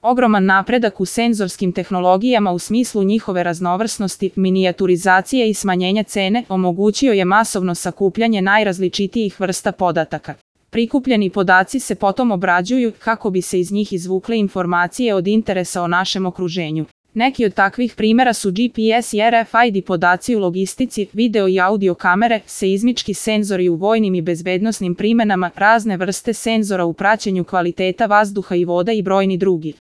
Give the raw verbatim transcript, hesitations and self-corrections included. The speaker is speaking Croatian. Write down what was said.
Ogroman napredak u senzorskim tehnologijama u smislu njihove raznovrsnosti, minijaturizacije i smanjenja cene omogućio je masovno sakupljanje najrazličitijih vrsta podataka. Prikupljeni podaci se potom obrađuju kako bi se iz njih izvukle informacije od interesa o našem okruženju. Neki od takvih primjera su G P S i R F I D podaci u logistici, video i audio kamere, seizmički senzori u vojnim i bezbednosnim primenama, razne vrste senzora u praćenju kvaliteta vazduha i vode i brojni drugi.